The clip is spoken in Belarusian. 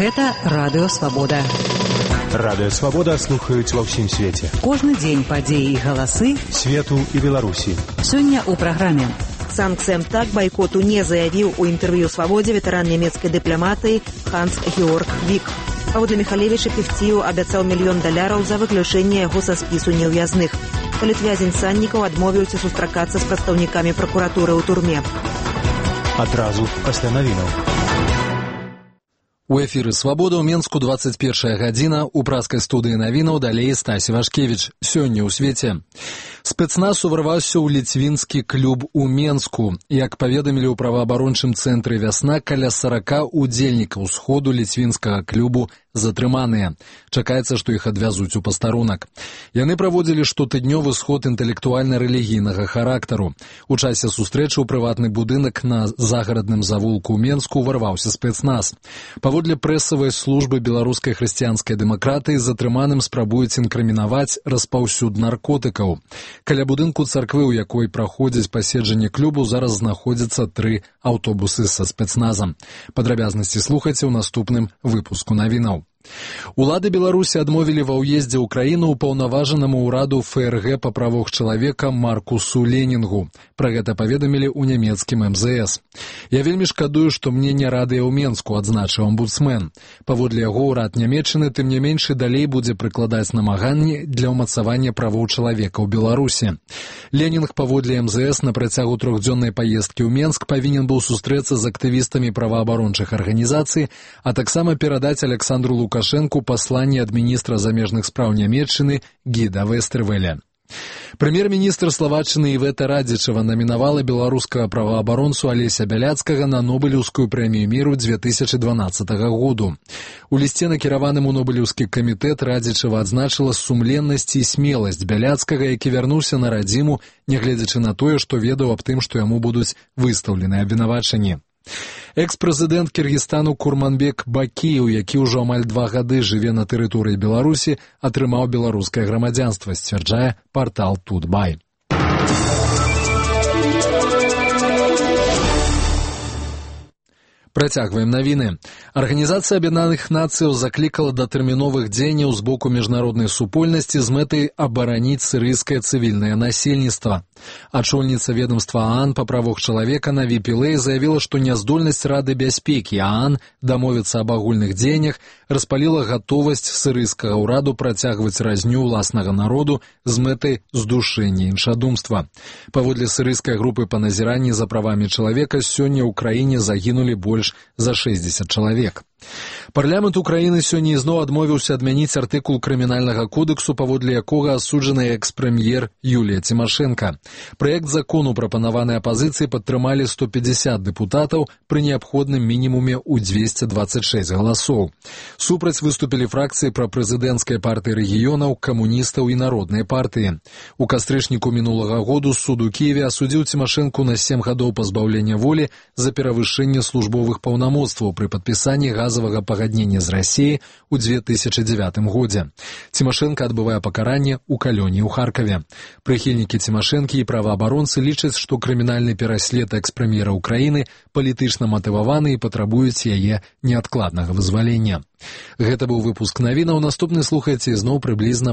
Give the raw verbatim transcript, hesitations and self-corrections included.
Гэта Радыё Свабода. Радыё Свабода слухаюць ва ўсім свеце. Кожны дзень падзеі і галасы свету і Беларусі. Сёння ў праграме. Санкт-Петербург бойкоту не заявіў у інтэрв'ю «Свабодзе» ветэран нямецкай дыпламатыі Ханс-Георг Вік. Паводле Міхалевіча Певціў абяцаў мільён даляраў за выключэнне яго са спісу неўвязных. Палітвязень Саннікаў адмовіўся сустракацца з прадстаўнікамі пракуратуры ў турме. Адразу пасля навінаў. У эфіры «Свабода» ў Менску двадцать первая гадзіна, у праскай студыі навінаў далей Стасі Вашкевіч. Сёння ў свеце. Спецназ уварваўся ў ліцвінскі клуб у Менску. Як паведамілі ў праваабарончым цэнтры «Вясна», каля сорока удзельнікаў сходу ліцвінскага клубу затрыманыя. Чакаецца, што іх адвязуць у пастарунак. Яны праводзілі штотыднёвы сход інтэлектуальна-рэлігійнага характару. У часе сустрэчы ў прыватны будынак на загарадным завулку ў Менску ўварваўся спецназ. Паводле прэсавай службы беларускай хрысціянскай дэмакратыі затрыманым спрабуюць інкрымінаваць распаўсюд наркотыкаў. Каля будынку царквы, у якой праходзіць паседжанне клубу, зараз знаходзяцца тры аўтобусы са спецназам. Падрабязнасці слухайце ў наступным выпуску навінаў. Улады Беларусі адмовілі ва ўездзе ў краіну ўпаўнаважанаму ўраду эф эр гэ па правах чалавека Маркусу Ленінгу. Пра гэта паведамілі ў нямецкім эм зэ эс. Я вельмі шкадую, што мне не радыя ў Менску, адзначыў омбудсмен. Паводле яго ўрад Нямецчыны тым не менш і далей будзе прыкладаць намаганні для ўмацавання правоў чалавека ў Беларусі. Ленінг паводле эм зэ эс на працягу трохдзённай паездкі ў Менск павінен быў сустрэцца з актывістамі праваабарончых арганізацый, а таксама перадаць Александру Лукашэнку Лукашенку пасланне ад міністра замежных спраў Нямецчыны Гіда Вестэрвеля. Прэм'ер-міністр Славаччыны Івета Радзічава намінавала беларускага праваабаронцу Алеся Бяляцкага на Нобелеўскую прэмію міру две тысячи дванаццатага году. У лісце, накіраваным у Нобелеўскі камітэт, Радзічава адзначыла сумленнасць і смеласць Бяляцкага, які вярнуўся на радзіму, нягледзячы на тое, што ведаў аб тым, што яму будуць выстаўлены абвінавачанні. Экс-прэзідэнт Кіргізстану Курманбек Бакіеў, які ўжо амаль два гады жыве на тэрыторыі Беларусі, атрымаў беларускае грамадзянства, сцвярджае партал Тутбай. Працягваем навіны. Арганізацыя Аб'яднаных Нацыяў заклікала да тэрміновых дзеянняў з боку міжнароднай супольнасці з мэтай абараніць сірыйскае цывільнае насельніцтва. Ачольніца ведомства ААН па правах чалавека Наві Пілэй заявіла, што няздольнасць Рады бяспекі ААН дамовіцца аб агульных дзеяннях распаліла гатовасць сірыйскага ўраду працягваць разню ўласнага народу з мэтай здушэння іншадумства. Паводле сірыйскай групы па назіранні за правамі чалавека сёння ў краіне загінулі больш за шэсцьдзесят чалавек. Парламент Украіны сёння ізноў адмовіўся адмяніць артыкул крымінальнага кодексу, паводле якога асуджаная экс-прэм'ер Юлія Цімашэнка. Праект закону, прапанаваны апазіцыяй, падтрымалі сто пятьдесят дэпутатаў пры неабходным мінімуме ў двести двадцать шесть галасоў. Супраць выступілі фракцыі прапрэзідэнцкай партыі рэгіёнаў, камуністаў і народнай партыі. У кастрычніку мінулага году суд у Кіеве асудзіў Цімашэнку на сем гадоў пазбаўлення волі за перавышэнне службовых паўнамоцтваў пры падпісанні газавага пагаднення з Расіяй у две тысячи дзевятым годзе. Цімашэнка адбывае пакаранне ў калоніі ў Харкаве. Прыхільнікі Цімашэнкі і праваабаронцы лічаць, што крымінальны пераслед экс-прэм'ера Украіны палітычна матываваны і патрабуюць яе неадкладнага вызвалення. Гэта быў выпуск навінаў. Наступны слухайце зноў прыблізна